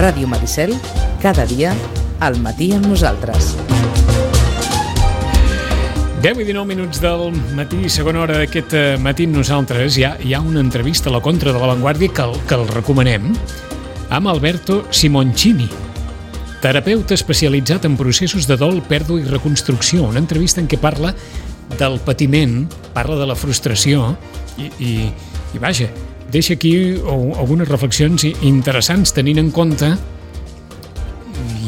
Ràdio Maricel, cada dia, al matí amb nosaltres. 10 i 19 minuts del matí, segona hora d'aquest matí amb nosaltres. Hi ha una entrevista a la contra de La Vanguardia que el recomanem, amb Alberto Simoncini, terapeuta especialitzat en processos de dol, pèrdua i reconstrucció. Una entrevista en què parla del patiment, parla de la frustració i vaja, deixa aquí algunes reflexions interessants tenint en compte,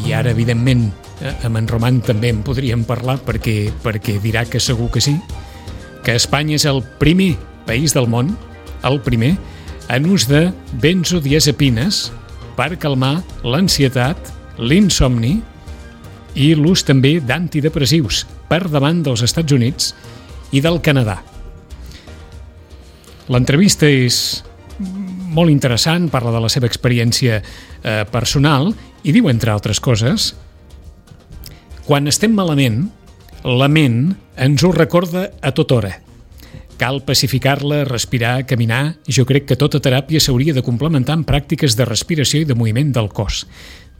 i ara evidentment amb en Roman també en podríem parlar perquè dirà que segur que sí, que Espanya és el primer país del món, el primer, en ús de benzodiazepines per calmar l'ansietat, l'insomni i l'ús també d'antidepressius, per davant dels Estats Units i del Canadà. L'entrevista és molt interessant, parla de la seva experiència personal i diu, entre altres coses, quan estem malament, la ment ens ho recorda a tota hora. Cal pacificar-la, respirar, caminar. Jo crec que tota teràpia s'hauria de complementar amb pràctiques de respiració i de moviment del cos.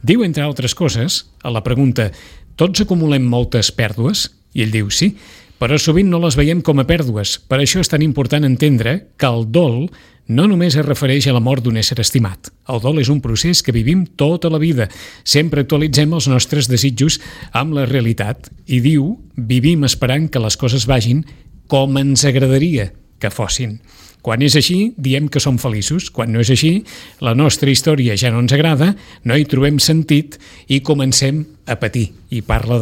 Diu, entre altres coses, a la pregunta «Tots acumulem moltes pèrdues?» I ell diu «Sí, però sovint no les veiem com a pèrdues. Per això és tan important entendre que el dol no només es refereix a la mort d'un ésser estimat. El dol és un procés que vivim tota la vida. Sempre actualitzem els nostres desitjos amb la realitat». I diu «Vivim esperant que les coses vagin com ens agradaria que fossin. Quan és així, diem que som feliços. Quan no és així, la nostra història ja no ens agrada, no hi trobem sentit i comencem a patir». I parla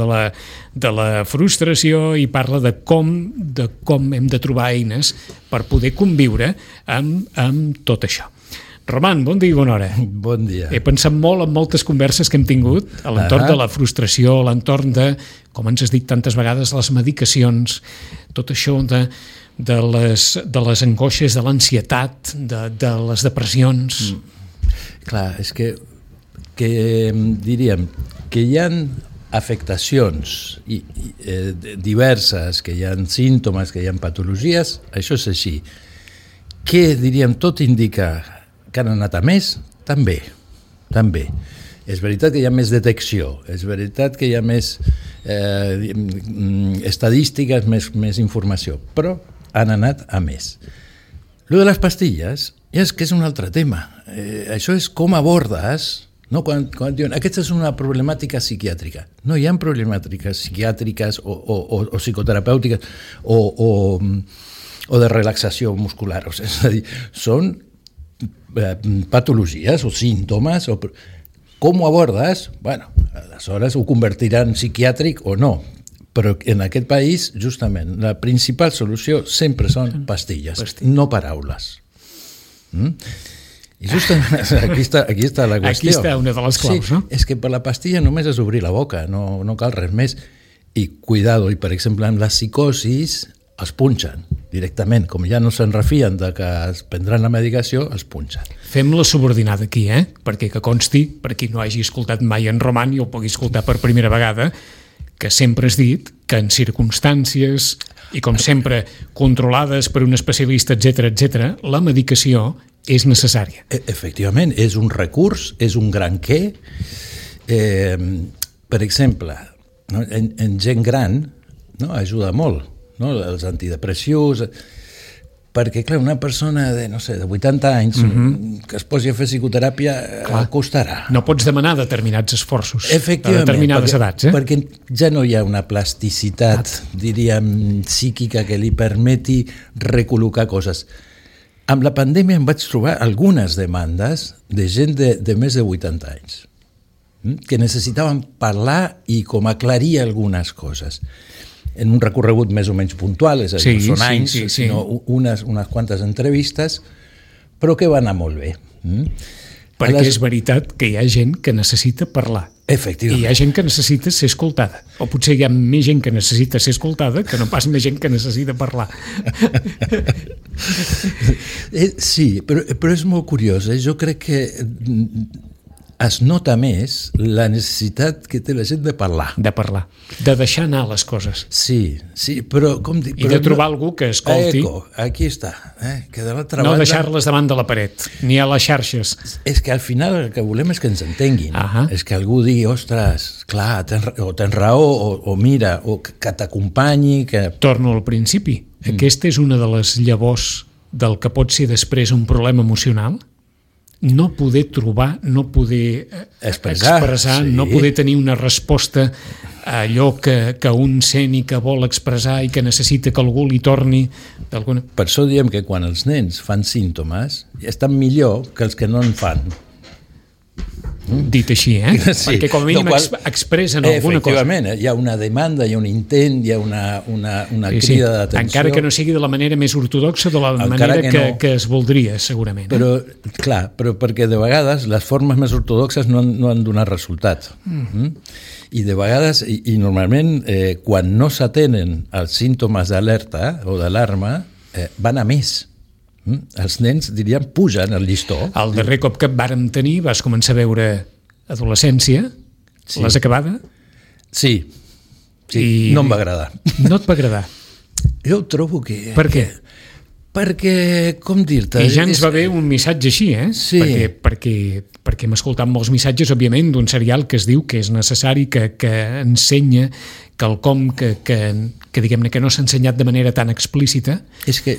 de la frustració i parla de com hem de trobar eines per poder conviure amb tot això. Roman, bon dia i bona hora. Bon dia. He pensat molt en moltes converses que hem tingut a l'entorn de la frustració, a l'entorn de, com ens has dit tantes vegades, les medicacions, tot això de les angoixes, de l'ansietat, de les depressions. Clar, és que diríem que hi ha afectacions diverses, que hi ha símptomes, que hi ha patologies, això és així. Que, diríem, tot indica que han anat a més? També. És veritat que hi ha més detecció, és veritat que hi ha més estadístiques, més informació, però han anat a més. Lo de les pastilles és que és un altre tema. Això és com abordes, no? Quan diuen aquesta és una problemàtica psiquiàtrica. No hi ha problemàtiques psiquiàtriques o psicoterapèutiques o de relaxació muscular. És a dir, són patologies o símptomes. Com ho abordes? Bueno, aleshores ho convertiran en psiquiàtric o no. Però en aquest país, justament, la principal solució sempre són pastilles, no paraules. I justament aquí està la qüestió. Aquí està una de les claus, no? És que per la pastilla només és obrir la boca, no cal res més. I cuidado, i per exemple, amb la psicosis els punxen directament. Com ja no se'n refien de que es prendran la medicació, els punxen. Fem la subordinada aquí, perquè que consti, per qui no hagi escoltat mai en Roman i ho pugui escoltar per primera vegada, que sempre has dit que en circumstàncies i, com sempre, controlades per un especialista, etc., la medicació és necessària. Efectivament, és un recurs, és un gran què. Per exemple, en gent gran ajuda molt, els antidepressius, perquè, clar, una persona de 80 anys que es posi a fer psicoteràpia costarà. No pots demanar determinats esforços a determinades edats. Perquè ja no hi ha una plasticitat, diríem, psíquica que li permeti recol·locar coses. Amb la pandèmia em vaig trobar algunes demandes de gent de més de 80 anys que necessitaven parlar i com aclarir algunes coses. En un recorregut més o menys puntual, és a dir, no són anys, sinó unes quantes entrevistes, però que va anar molt bé. Perquè és veritat que hi ha gent que necessita parlar. Efectivament. I hi ha gent que necessita ser escoltada. O potser hi ha més gent que necessita ser escoltada que no pas més gent que necessita parlar. Sí, però és molt curiós. Jo crec que es nota més la necessitat que té la gent de parlar. De parlar, de deixar anar les coses. Sí, però com dic... I de trobar algú que escolti. Aquí està, que de l'altra banda... No deixar-les davant de la paret, ni a les xarxes. És que al final el que volem és que ens entenguin. És que algú digui, ostres, clar, tens raó, o mira, o que t'acompanyi... Torno al principi. Aquesta és una de les llavors del que pot ser després un problema emocional. No poder trobar, no poder expressar, no poder tenir una resposta a allò que un sent i que vol expressar i que necessita que algú li torni d'alguna... Per això diem que quan els nens fan símptomes estan millor que els que no en fan. Dit així, Sí. Perquè com a mínim expressen alguna cosa. Efectivament, hi ha una demanda, hi ha un intent, hi ha una crida d'atenció. Encara que no sigui de la manera més ortodoxa, de la manera que es voldria, segurament. Però, clar, perquè de vegades les formes més ortodoxes no han donat resultat. I de vegades, i normalment, quan no s'atenen els símptomes d'alerta o d'alarma, van a més. Els nens, diríem, pugen el llistó. El darrer cop que et vàrem tenir vas començar a veure adolescència, l'has acabada? Sí, no em va agradar. No et va agradar? Jo trobo que... Per què? Perquè, com dir-te... I ja ens va haver un missatge així, Sí. Perquè hem escoltat molts missatges, òbviament, d'un serial que es diu que és necessari, que ensenya quelcom que diguem-ne que no s'ha ensenyat de manera tan explícita. És que,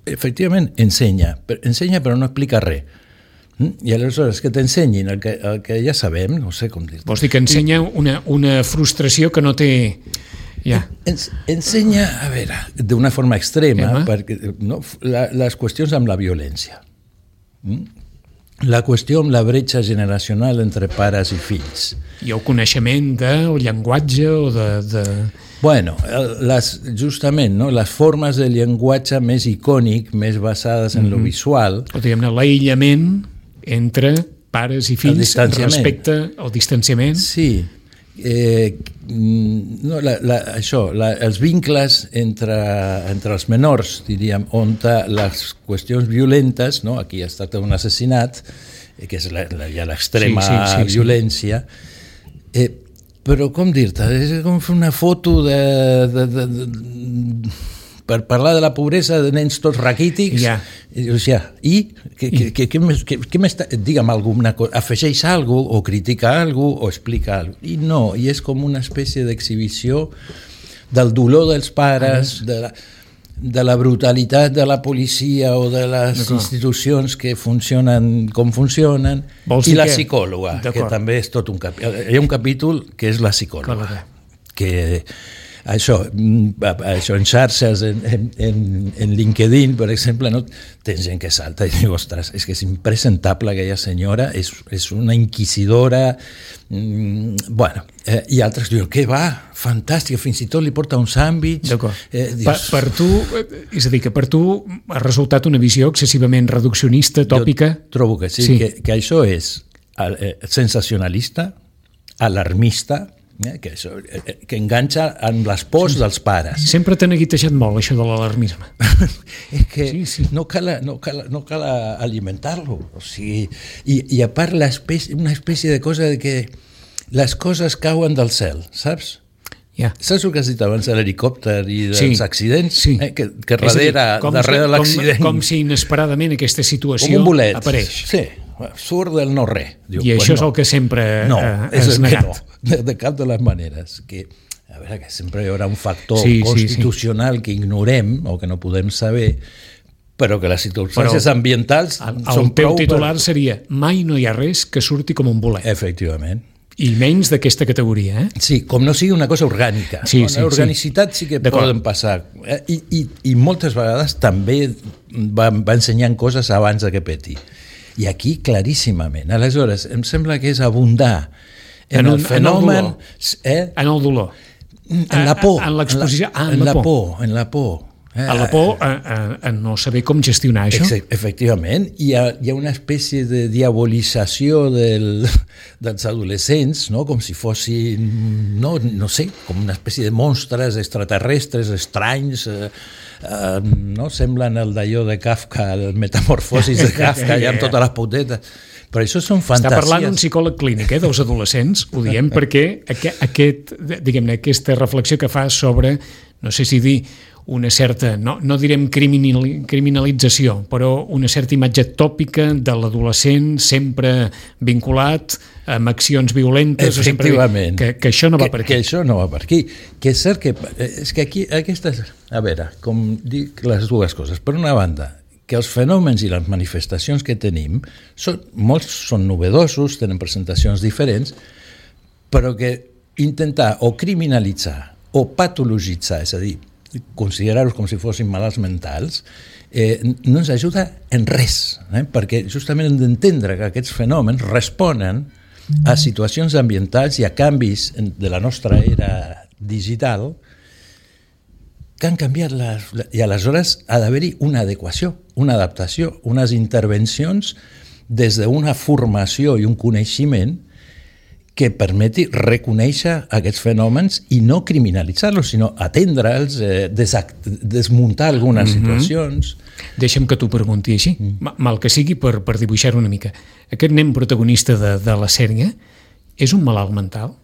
efectivament, ensenya però no explica res. I aleshores que t'ensenyin el que ja sabem, no sé com dir-te. Vols dir que ensenya una frustració que no té... Ja. Ensenya, a veure, d'una forma extrema, perquè, les qüestions amb la violència. La qüestió amb la bretxa generacional entre pares i fills. I el coneixement del llenguatge o de... Bueno, justament, no? Les formes de llenguatge més icònic, més basades en lo visual... O diguem-ne, l'aïllament entre pares i fills respecte al distanciament. Sí. Els vincles entre els menors, diríem, on les qüestions violentes, no? Aquí es tracta d'un assassinat, que és ja l'extrema violència, però com dir-te, és com fer una foto per parlar de la pobresa de nens tots raquítics, què m'està... Digue'm alguna cosa, afegeix alguna cosa, o critica alguna cosa, o explica alguna cosa. I no, i és com una espècie d'exhibició del dolor dels pares, de la brutalitat de la policia o de les institucions que funcionen com funcionen, i la psicòloga, que també és tot un capítol. Hi ha un capítol que és la psicòloga, que... Això en xarxes, en LinkedIn, per exemple, no? Tens gent que salta i diu, ostres, és que és impresentable aquella senyora, és una inquisidora, bueno, i altres diuen, què va, fantàstica, fins i tot li porta un sàndwich. Per tu, és a dir, que per tu ha resultat una visió excessivament reduccionista, tòpica? Jo trobo que sí. Que això és sensacionalista, alarmista, que enganxa amb les pors dels pares. Sempre t'ha neguitejat molt això de l'alarmisme. És que no cal alimentar-lo. O sigui, i a part una espècie de cosa de que les coses cauen del cel, saps? Saps el que has dit abans de l'helicòpter i dels accidents? Que darrere l'accident... Com si inesperadament aquesta situació apareix. Sí, surt del no-res. I això és el que sempre has negat. De cap de les maneres. A veure, que sempre hi haurà un factor constitucional que ignorem o que no podem saber, però que les circumstàncies ambientals són prou... El teu titular seria mai no hi ha res que surti com un bolet. Efectivament. I menys d'aquesta categoria, Sí, com no sigui una cosa orgànica. La organicitat sí que poden passar. I moltes vegades també va ensenyant coses abans que peti. I aquí claríssimament. Aleshores, em sembla que és abundar en el fenomen... En el dolor. En la por. En l'exposició. En la por. En la por. A la por, a no saber com gestionar això. Efectivament, hi ha una espècie de diabolització dels adolescents, no? Com si fossin, no sé, com una espècie de monstres extraterrestres, estranys, no? Semblen el d'allò de Kafka, el Metamorfosis de Kafka, ja amb totes les potetes. Però això són fantasies. Està parlant un psicòleg clínic dels adolescents, ho diem perquè aquesta reflexió que fa sobre, no sé si dir, una certa, no direm criminalització, però una certa imatge tòpica de l'adolescent sempre vinculat amb accions violentes. Efectivament. Que això no va per aquí. Que això no va per aquí. Que és cert que... És que aquí, aquestes... A veure, com dic les dues coses. Per una banda, que els fenòmens i les manifestacions que tenim, molts són novedosos, tenen presentacions diferents, però que intentar o criminalitzar o patologitzar, és a dir, considerar-los com si fossin malalts mentals, no ens ajuda en res, perquè justament hem d'entendre que aquests fenòmens responen a situacions ambientals i a canvis de la nostra era digital que han canviat i aleshores ha d'haver-hi una adequació, una adaptació, unes intervencions des d'una formació i un coneixement que permeti reconèixer aquests fenòmens i no criminalitzar-los, sinó atendre'ls, desmuntar algunes situacions. Deixa'm que t'ho pregunti així, mal que sigui per dibuixar-ho una mica. Aquest nen protagonista de la sèrie és un malalt mental?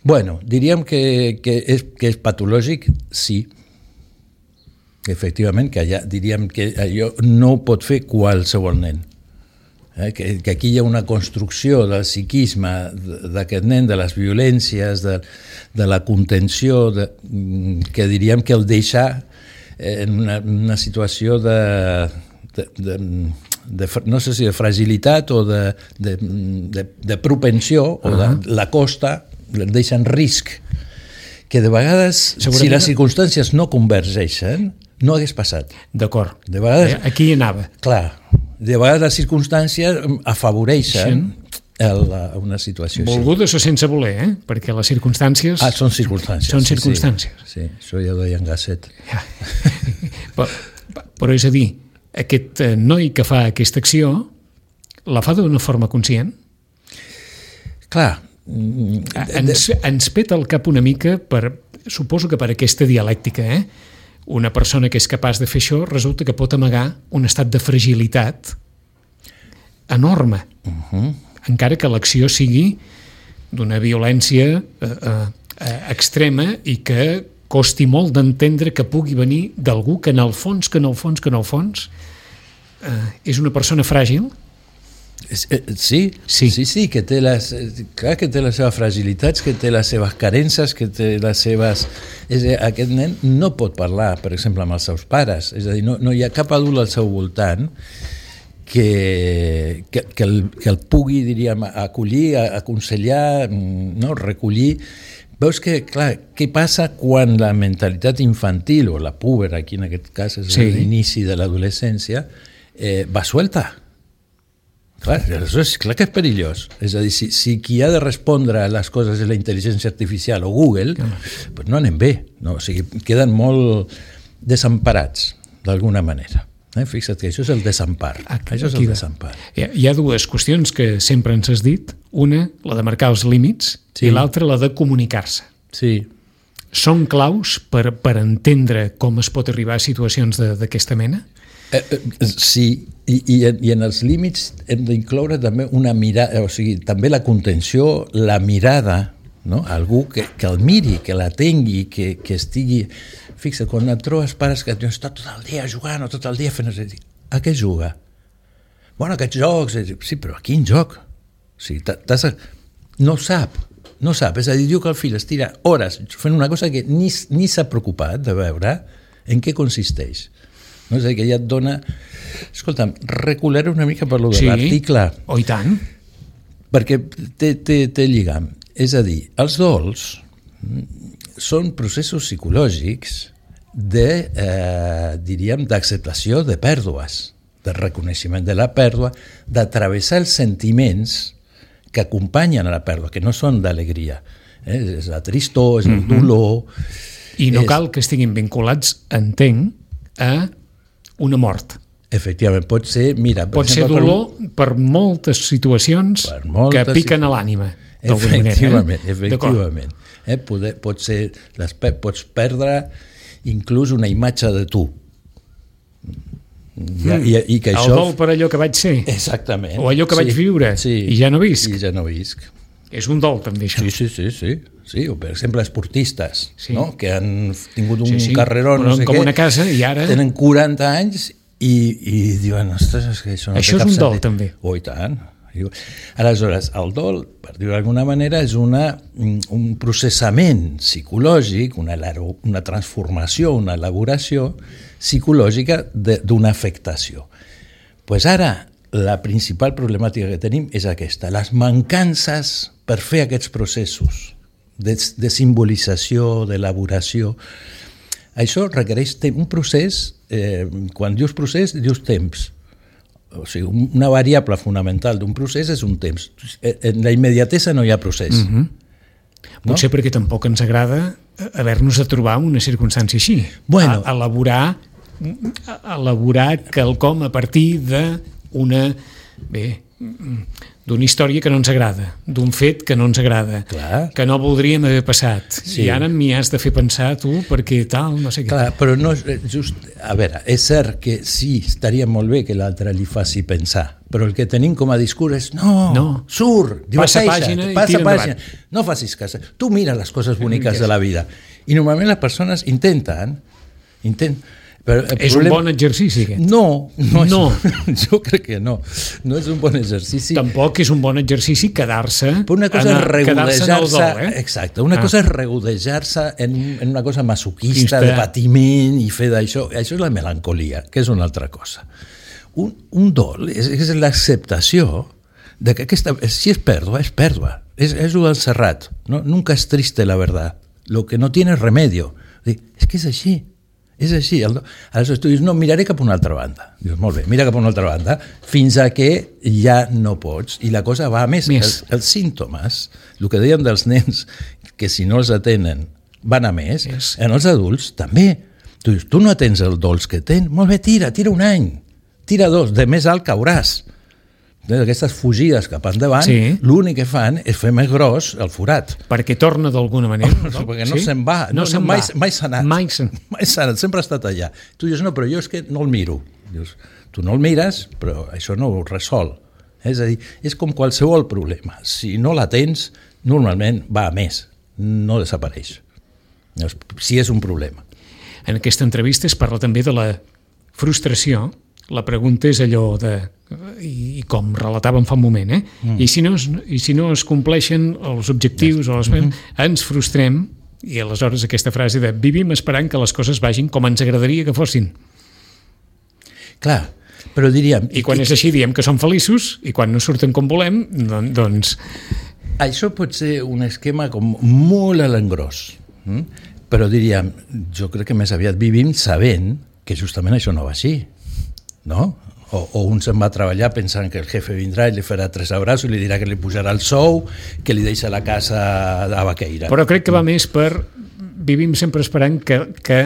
Bueno, diríem que és patològic, sí. Efectivament, diríem que allò no ho pot fer qualsevol nen. Que aquí hi ha una construcció del psiquisme d'aquest nen, de les violències, de la contenció, que diríem que el deixa en una situació no sé si de fragilitat o de propensió, o de la costa, el deixa en risc, que de vegades, si les circumstàncies no convergeixen, no hagués passat. D'acord. De vegades... Aquí hi anava. Clar. De vegades les circumstàncies afavoreixen una situació així. Volgudes o sense voler, perquè les circumstàncies... Són circumstàncies. Són circumstàncies. Sí, això ja ho deia en Gasset. Però és a dir, aquest noi que fa aquesta acció la fa d'una forma conscient? Clar. Ens peta el cap una mica, suposo que per aquesta dialèctica, una persona que és capaç de fer això resulta que pot amagar un estat de fragilitat enorme, encara que l'acció sigui d'una violència extrema i que costi molt d'entendre que pugui venir d'algú que en el fons és una persona fràgil. Sí, que té les seves fragilitats, que té les seves carences, que té les seves... Aquest nen no pot parlar, per exemple, amb els seus pares, és a dir, no hi ha cap adult al seu voltant que el pugui, diríem, acollir, aconsellar, recollir. Veus que, clar, què passa quan la mentalitat infantil, o la púbera, aquí en aquest cas és l'inici de l'adolescència, va suelta? Clar que és perillós. És a dir, si qui ha de respondre a les coses és la intel·ligència artificial o Google, doncs no anem bé. O sigui, queden molt desemparats, d'alguna manera. Fixa't que això és el desempar. Això és el desempar. Hi ha dues qüestions que sempre ens has dit. Una, la de marcar els límits, i l'altra, la de comunicar-se. Sí. Són claus per entendre com es pot arribar a situacions d'aquesta mena? Sí, i en els límits hem d'incloure també una mirada, o sigui, també la contenció, la mirada, no? Algú que el miri, que l'atengui, que estigui... Fixa't, quan et trobes pares que està tot el dia jugant o tot el dia fent... A què juga? Bueno, aquests jocs... Sí, però a quin joc? O sigui, no sap. És a dir, diu que el fill es tira hores fent una cosa que ni s'ha preocupat de veure en què consisteix. No? És a dir, que ja et dona... Escolta'm, recularé una mica per lo de l'article. Oh, i tant. Perquè té lligam. És a dir, els dols són processos psicològics diríem, d'acceptació de pèrdues, de reconeixement de la pèrdua, d'atravessar els sentiments que acompanyen a la pèrdua, que no són d'alegria. És la tristor, és el dolor... I no cal que estiguin vinculats, entenc, a una mort. Efectivament, pot ser... Mira, pot ser dolor per moltes situacions que piquen a l'ànima. Efectivament. Pots perdre inclús una imatge de tu. I que això... El dol per allò que vaig ser. Exactament. O allò que vaig viure i ja no visc. I ja no visc. És un dol, també, això. Sí, o per exemple, esportistes, no? Que han tingut un carreró, no sé com una casa, i ara... Tenen 40 anys i diuen, ostres, és que això no això té cap és un dol, sentit. també. Oh, i tant. Aleshores, el dol, per dir-ho d'alguna manera, és un processament psicològic, una transformació, una elaboració psicològica d'una afectació. Pues ara, la principal problemàtica que tenim és aquesta, les mancances per fer aquests processos de simbolització, d'elaboració. Això requereix un procés, quan dius procés, dius temps. O sigui, una variable fonamental d'un procés és un temps. En la immediatesa no hi ha procés. Potser perquè tampoc ens agrada haver-nos de trobar una circumstància així. Bueno. Elaborar quelcom a partir d'una història que no ens agrada, d'un fet que no ens agrada, que no voldríem haver passat. Sí. I ara m'hi has de fer pensar tu perquè tal, no sé què. Clar, però no és just... A veure, és cert que sí, estaria molt bé que l'altre li faci pensar, però el que tenim com a discurs és surt, passa pàgina i tira endavant. No facis cas. Tu mira les coses boniques de la vida. I normalment les persones intenten. Però és un bon exercici, aquest? No. Jo crec que no. No és un bon exercici. Tampoc és un bon exercici quedar-se una cosa és regodejar-se, exacte, una cosa és regodejar-se en una cosa masoquista, de patiment i fer d'això. Això és la melancolia, que és una altra cosa. Un dol és l'acceptació de que si és pèrdua, és pèrdua. És el del Serrat. No? Nunca es triste la verdad. Lo que no tiene remedio. És que és així. És així. Aleshores tu dius, no, miraré cap a una altra banda. Dius, molt bé, mira cap a una altra banda, fins a que ja no pots. I la cosa va a més. Els símptomes, el que dèiem dels nens, que si no els atenen van a més, en els adults també. Tu dius, tu no atens el dolç que tens? Molt bé, tira un any. Tira 2, de més alt cauràs. Aquestes fugides cap endavant, l'únic que fan és fer més gros el forat. Perquè torna d'alguna manera. Perquè no se'n va. Mai s'ha anat. Mai s'ha anat, sempre ha estat allà. Tu dius, no, però jo és que no el miro. Dius, tu no el mires, però això no ho resol. És a dir, és com qualsevol problema. Si no la tens, normalment va a més. No desapareix. Si és un problema. En aquesta entrevista es parla també de la frustració. La pregunta és allò de... I com relatàvem fa un moment, I si no es compleixen els objectius o ens frustrem, i aleshores aquesta frase de vivim esperant que les coses vagin com ens agradaria que fossin. Clar, però diríem... I quan és així diem que som feliços, i quan no surten com volem, doncs... Això pot ser un esquema com molt a l'engròs, però diríem, jo crec que més aviat vivim sabent que justament això no va així. No? O un se'n va a treballar pensant que el jefe vindrà i li farà 3 abraços i li dirà que li pujarà el sou, que li deixa la casa a Baqueira. Però crec que va més per... Vivim sempre esperant que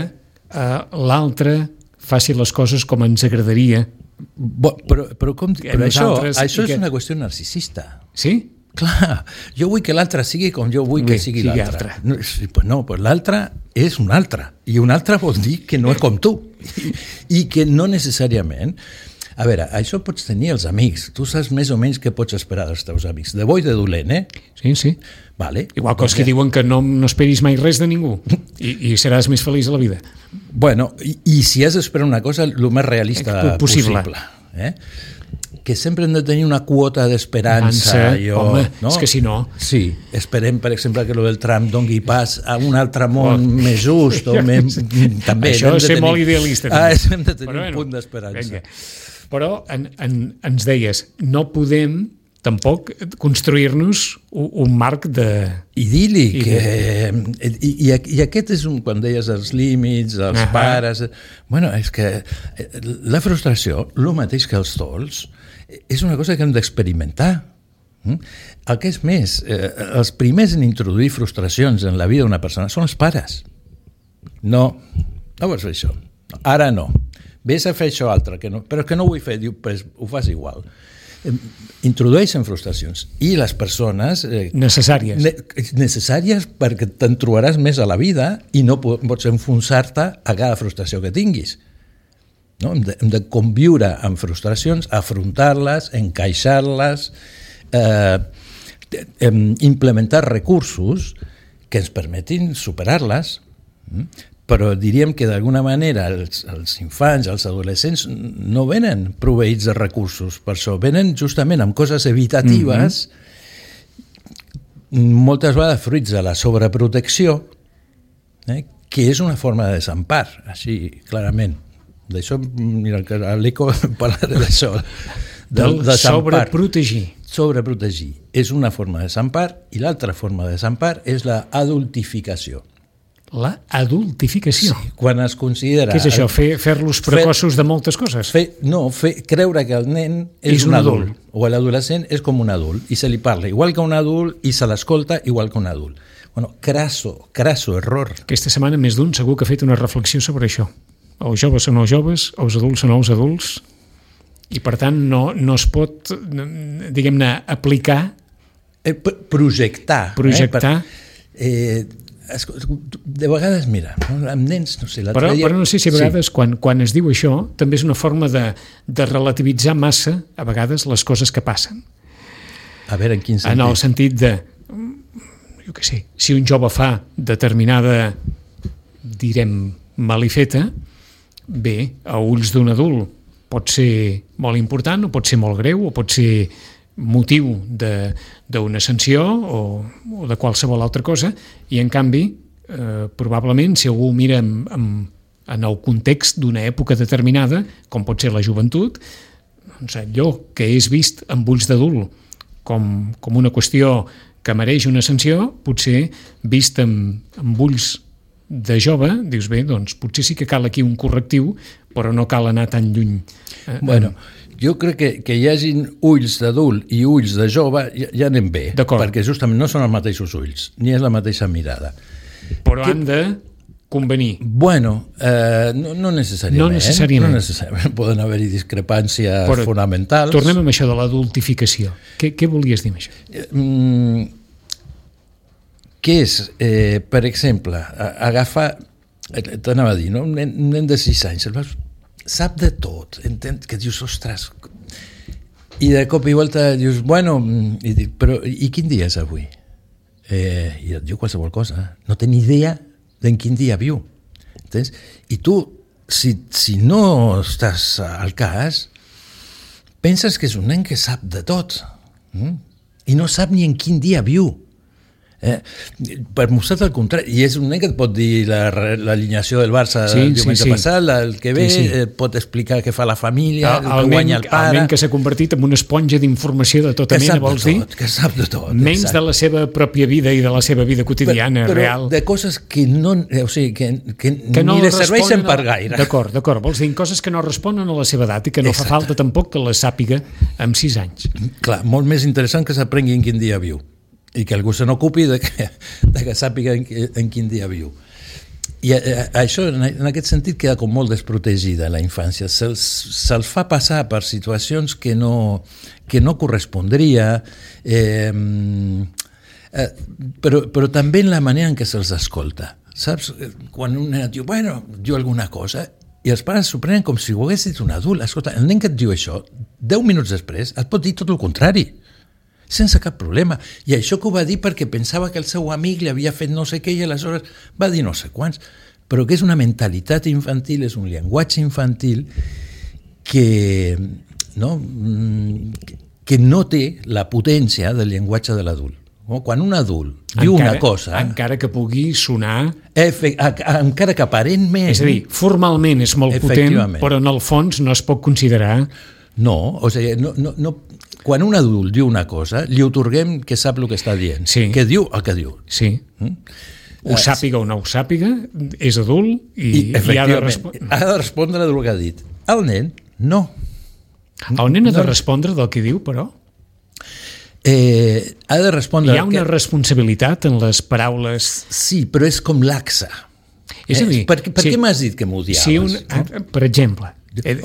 l'altre faci les coses com ens agradaria. Però això és una qüestió narcisista. Sí? Clar, jo vull que l'altre sigui com jo vull que sigui l'altre. No, però l'altre és un altre. I un altre vol dir que no és com tu. I que no necessàriament... A veure, això pots tenir els amics. Tu saps més o menys què pots esperar dels teus amics. De bo i de dolent, Sí. Vale. Igual que els que diuen que no esperis mai res de ningú i seràs més feliç a la vida. Bueno, i si has d'esperar una cosa, el més realista possible. Que sempre hem de tenir una quota d'esperança. Home, és que si no... Sí, esperem, per exemple, que el del Trump dongui pas a un altre món més just. També això és ser molt idealista. Hem de tenir un punt d'esperança. Però ens deies, no podem tampoc construir-nos un marc de... idíl·lic. I aquest és quan deies els límits, els pares... Bueno, és que la frustració, el mateix que els dols, és una cosa que hem d'experimentar. El que és més, els primers en introduir frustracions en la vida d'una persona són els pares. No vols fer això. Ara no. Vés a fer això altre, però que no ho vull fer. Diu, pues ho fas igual. Introdueixen frustracions i les persones necessàries perquè te'n trobaràs més a la vida i no pots enfonsar-te a cada frustració que tinguis. no? Hem de conviure amb frustracions, afrontar-les, encaixar-les, implementar recursos que ens permetin superar-les, però diríem que d'alguna manera els infants, els adolescents no venen proveïts de recursos, per això venen justament amb coses evitatives, moltes vegades fruits de la sobreprotecció, que és una forma de desempar, així clarament. D'això, mira, a l'ECO parlaré d'això. Del sobreprotegir. Sobreprotegir és una forma de desempar i l'altra forma de desempar és la adultificació. La adultificació. Sí, quan es considera... Què és això? Fer-los precoços de moltes coses? Creure que el nen és un adult, o l'adolescent és com un adult, i se li parla igual que un adult i se l'escolta igual que un adult. Bueno, crasso error. Aquesta setmana més d'un segur que ha fet una reflexió sobre això. Els joves són els joves, els adults són els adults, i per tant no es pot, diguem-ne, aplicar... Projectar. De vegades, mira, amb nens, no sé... Però no sé si a vegades, quan es diu això, també és una forma de relativitzar massa, a vegades, les coses que passen. A veure, en quin sentit? En el sentit de, jo què sé, si un jove fa determinada, direm, malifeta, bé, a ulls d'un adult pot ser molt important, o pot ser molt greu, o pot ser motiu d'una sanció o de qualsevol altra cosa, i en canvi, probablement, si algú mira en el context d'una època determinada, com pot ser la joventut, doncs allò que és vist amb ulls d'adult com una qüestió que mereix una sanció, potser vist amb ulls de jove, dius, bé, doncs potser sí que cal aquí un correctiu, però no cal anar tan lluny. Bueno, jo crec que hi hagin ulls d'adult i ulls de jove, ja anem bé, perquè justament no són els mateixos ulls, ni és la mateixa mirada. Però han de convenir. Bueno, no necessàriament. No necessàriament. No necessàriament. Poden haver-hi discrepàncies fonamentals. Tornem amb això de l'adultificació. Què volies dir amb això? Que és, per exemple, agafar, t'anava a dir, no? Un nen de 6 anys, sap de tot, entén que dius, ostres, i de cop i volta dius, bueno, però i quin dia és avui? I et diu qualsevol cosa, no té ni idea d'en quin dia viu, entens? I tu, si no estàs al cas, penses que és un nen que sap de tot, i no sap ni en quin dia viu. Per mostrar el contrari, i és un nen que et pot dir l'alineació del Barça el diumenge passat, el que ve, pot explicar què fa la família, el que guanya el pare. El nen que s'ha convertit en una esponja d'informació de tota mena, vols dir? Que sap de tot. Menys de la seva pròpia vida i de la seva vida quotidiana, real. Però de coses que no, o sigui, que ni li serveixen per gaire. D'acord, vols dir coses que no responen a la seva edat i que no fa falta tampoc que les sàpiga amb 6 anys. Clar, molt més interessant que s'aprengui en quin dia viu i que algú se n'ocupi de que sàpiga en quin dia viu. I això, en aquest sentit, queda com molt desprotegida la infància. Se'ls fa passar per situacions que no correspondria, però també en la manera en què se'ls escolta. Saps? Quan un nen et diu, bueno, diu alguna cosa, i els pares s'ho prenen com si ho hagués dit un adult. Escolta, el nen que et diu això, 10 minuts després, et pot dir tot el contrari, sense cap problema. I això que ho va dir perquè pensava que el seu amic li havia fet no sé què i aleshores va dir no sé quants. Però que és una mentalitat infantil, és un llenguatge infantil que no té la potència del llenguatge de l'adult. Quan un adult diu una cosa... Encara que pugui sonar... encara que aparentment... És a dir, formalment és molt potent, però en el fons no es pot considerar... No, o sigui, quan un adult diu una cosa, li otorguem que sap el que està dient, que diu el que diu. Sí. Ho sàpiga o no ho sàpiga, és adult i ha de respondre. Ha de respondre del que ha dit. El nen, no. El nen ha de respondre del que diu, però? Ha de respondre... Hi ha una responsabilitat en les paraules... Sí, però és com laxa. És a dir... Per què m'has dit que m'odiaves? Per exemple...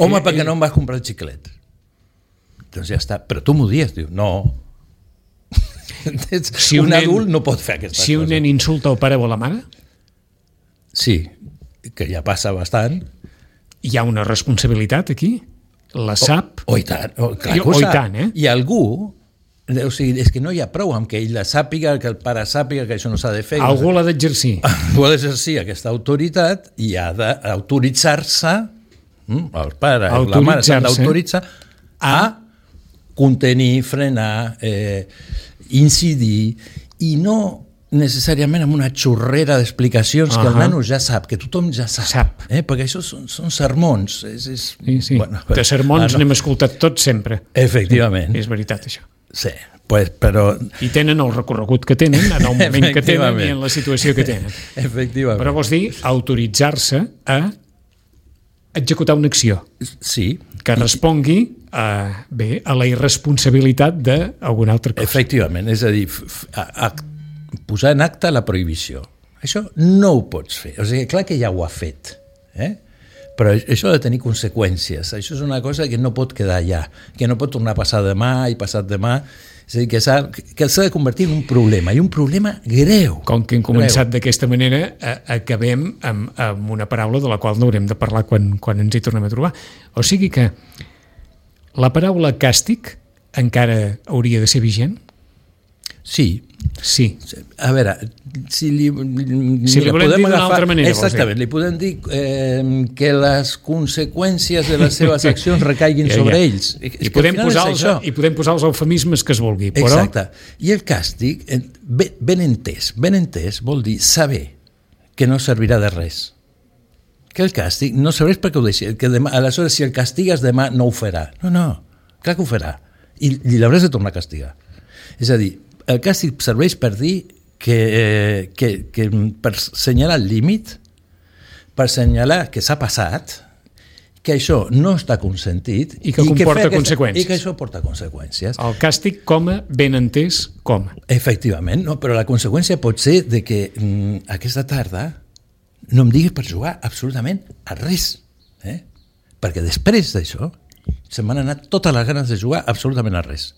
Home, perquè no em vas comprar el xiclet. Doncs ja està. Però tu m'odies, diu. No. Un adult no pot fer aquestes coses. Si un nen insulta el pare o la mare? Sí, que ja passa bastant. hi ha una responsabilitat aquí? La sap? I tant, clar que O ho i sap. tant, eh? I algú, o sigui, és que no hi ha prou amb que ell la sàpiga, que el pare sàpiga que això no s'ha de fer. Algú l'ha d'exercir. Algú ha d'exercir aquesta autoritat i ha d'autoritzar-se, el pare o la mare s'han d'autoritzar a contenir, frenar, incidir, i no necessàriament amb una xorrera d'explicacions que el nano ja sap, que tothom ja sap. Perquè això són sermons. Sí. Bueno, de sermons n'hem escoltat tots sempre. Efectivament. Sí, és veritat, això. Sí, però... I tenen el recorregut que tenen, en el moment que tenen i en la situació que tenen. Efectivament. Però vols dir autoritzar-se a executar una acció. Sí. Que respongui a la irresponsabilitat d'alguna altra cosa. Efectivament, és a dir, posar en acte la prohibició. Això no ho pots fer. O sigui, clar que ja ho ha fet, però això ha de tenir conseqüències. Això és una cosa que no pot quedar allà, que no pot tornar a passar demà i passat demà. És a dir, que s'ha de convertir en un problema, i un problema greu. Com que hem començat d'aquesta manera, acabem amb una paraula de la qual no haurem de parlar quan ens hi tornem a trobar. O sigui que la paraula càstig encara hauria de ser vigent? Sí. Sí. A veure, si li volem dir d'una altra manera. Exactament, li podem dir que les conseqüències de les seves accions recaiguin sobre ells. I podem posar els eufemismes que es vulgui. Exacte. I el càstig, ben entès, vol dir saber que no servirà de res. Que el càstig no serveix perquè ho deixi. Que demà, aleshores, si el castigues demà, no ho farà. No, clar que ho farà. I l'hauràs de tornar a castigar. És a dir, el càstig serveix per dir que per assenyalar el límit, per assenyalar que s'ha passat, que això no està consentit i que comporta conseqüències. I que això porta conseqüències. El càstig ben entès com. Efectivament, no, però la conseqüència pot ser de que aquesta tarda no em diguis per jugar absolutament a res, perquè després d'això se m'han anat totes les ganes de jugar absolutament a res.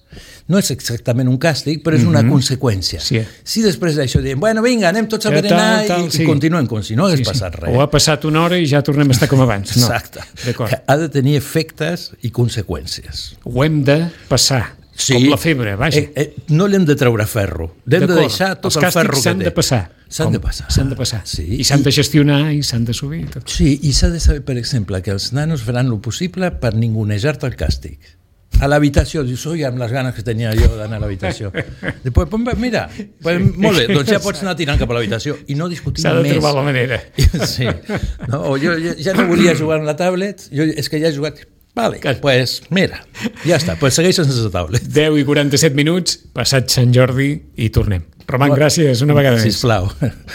No és exactament un càstig, però és una conseqüència. Sí. Si després d'això diem, bueno, vinga, anem tots a berenar i continuem com si no hagués passat res. O ha passat una hora i ja tornem a estar com abans. No. Exacte. Ha de tenir efectes i conseqüències. Ho hem de passar, com la febre, vaja. No l'hem de treure ferro. L'hem de deixar tot el ferro que té. Els càstigs s'han de passar. S'han de passar. Sí. I s'han de gestionar i s'han de subir. Tot. Sí, i s'ha de saber, per exemple, que els nanos faran el possible per ningunejar-te el càstig. A l'habitació, dius, oi, amb les ganes que tenia jo d'anar a l'habitació. Després, mira, molt bé, doncs ja pots anar tirant cap a l'habitació i no discutir més. S'ha de trobar la manera. Sí. No, o jo ja no volia jugar amb la tablet, és que ja he jugat... Vale, pues mira, ja està, pues segueix sense tablet. 10:47, passat Sant Jordi i tornem. Roman, gràcies una vegada més. Sisplau.